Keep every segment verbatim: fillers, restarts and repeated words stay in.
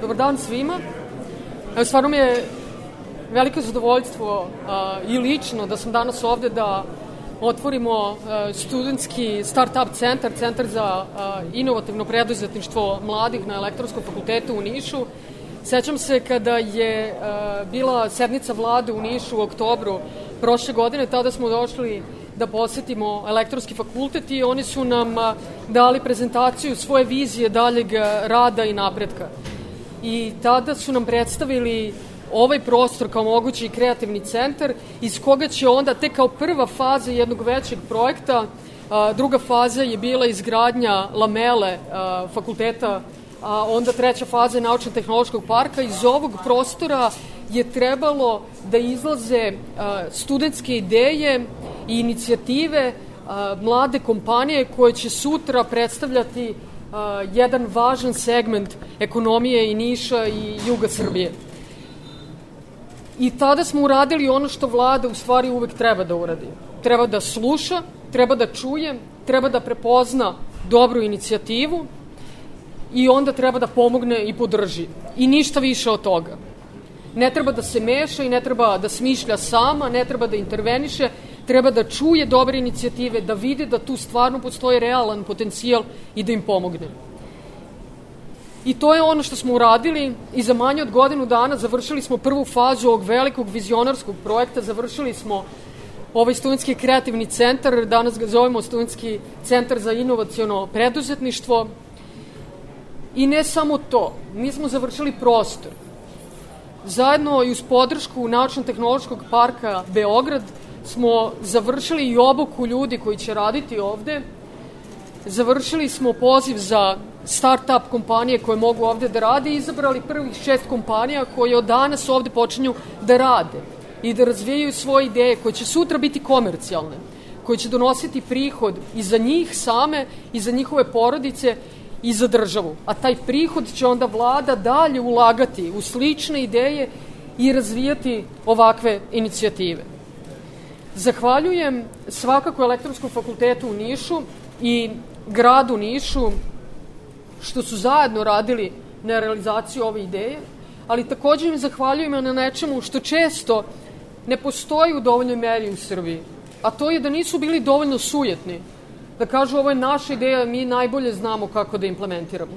Dobar dan svima. Evo, stvarno mi je veliko zadovoljstvo a, i lično da sam danas ovde da otvorimo a, studentski start-up centar, centar za a, inovativno preduzetništvo mladih na Elektronskom fakultetu u Nišu. Sećam se kada je a, bila sednica vlade u Nišu u oktobru prošle godine, tada smo došli da posetimo Elektronski fakultet i oni su nam a, dali prezentaciju svoje vizije daljeg rada i napretka. I tada su nam predstavili ovaj prostor kao mogući kreativni centar iz koga će onda, tek kao prva faza jednog većeg projekta, a, druga faza je bila izgradnja lamele a, fakulteta, a onda treća faza je naučno-tehnološkog parka. Iz ovog prostora je trebalo da izlaze a, studentske ideje i inicijative, a, mlade kompanije koje će sutra predstavljati a, jedan važan segment ekonomije i Niša i juga Srbije. I tada smo uradili ono što vlada u stvari uvek treba da uradi. Treba da sluša, treba da čuje, treba da prepozna dobru inicijativu i onda treba da pomogne i podrži. I ništa više od toga. Ne treba da se meša i ne treba da smišlja sama, ne treba da interveniše, treba da čuje dobre inicijative, da vidi da tu stvarno postoji realan potencijal i da im pomogne. I to je ono što smo uradili i za manje od godinu dana završili smo prvu fazu ovog velikog vizionarskog projekta, završili smo ovaj studentski kreativni centar, danas ga zovemo studentski centar za inovaciono preduzetništvo. I ne samo to, mi smo završili prostor. Zajedno i uz podršku Naučno-tehnološkog parka Beograd smo završili i obuku ljudi koji će raditi ovde. Završili smo poziv za start-up kompanije koje mogu ovde da rade i izabrali prvih šest kompanija koje od danas ovde počinju da rade i da razvijaju svoje ideje koje će sutra biti komercijalne, koje će donositi prihod i za njih same i za njihove porodice i za državu. A taj prihod će onda vlada dalje ulagati u slične ideje i razvijati ovakve inicijative. Zahvaljujem svakako Elektronskom fakultetu u Nišu i gradu Nišu što su zajedno radili na realizaciji ove ideje, ali također im zahvaljujem na nečemu što često ne postoji u dovoljnoj meri u Srbiji, a to je da nisu bili dovoljno sujetni, da kažu ovo je naša ideja, mi najbolje znamo kako da implementiramo,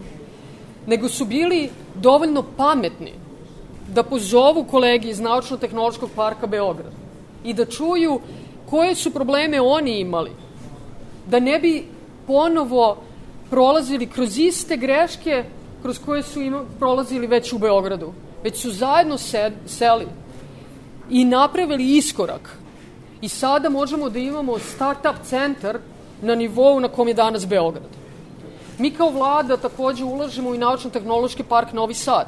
nego su bili dovoljno pametni da pozovu kolege iz Naučno-tehnološkog parka Beograd i da čuju koje su probleme oni imali, da ne bi ponovo prolazili kroz iste greške kroz koje su ima, prolazili već u Beogradu. Već su zajedno sed, seli i napravili iskorak. I sada možemo da imamo start-up centar na nivou na kom je danas Beograd. Mi kao vlada takođe ulažemo i Naučno-tehnološki park Novi Sad.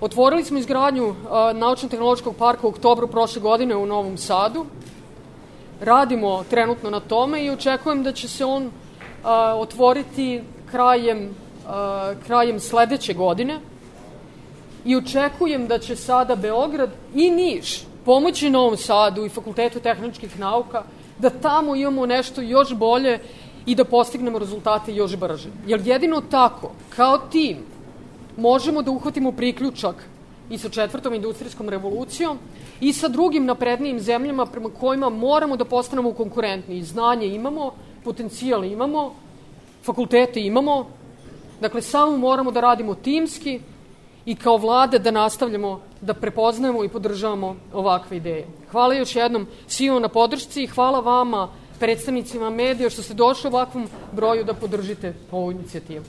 Otvorili smo izgradnju uh, Naučno-tehnološkog parka u oktobru prošle godine u Novom Sadu. Radimo trenutno na tome i očekujem da će se on Uh, otvoriti krajem, uh, krajem sledeće godine i očekujem da će sada Beograd i Niš pomoći Novom Sadu i Fakultetu tehničkih nauka da tamo imamo nešto još bolje i da postignemo rezultate još brže. Jer jedino tako, kao tim, možemo da uhvatimo priključak i sa četvrtom industrijskom revolucijom i sa drugim naprednijim zemljama prema kojima moramo da postanemo konkurentni. Znanje imamo, potencijal imamo, fakultete imamo, dakle samo moramo da radimo timski i kao vlade da nastavljamo da prepoznajemo i podržavamo ovakve ideje. Hvala još jednom svima na podršci i hvala vama, predstavnicima medija, što ste došli u ovakvom broju da podržite ovu inicijativu.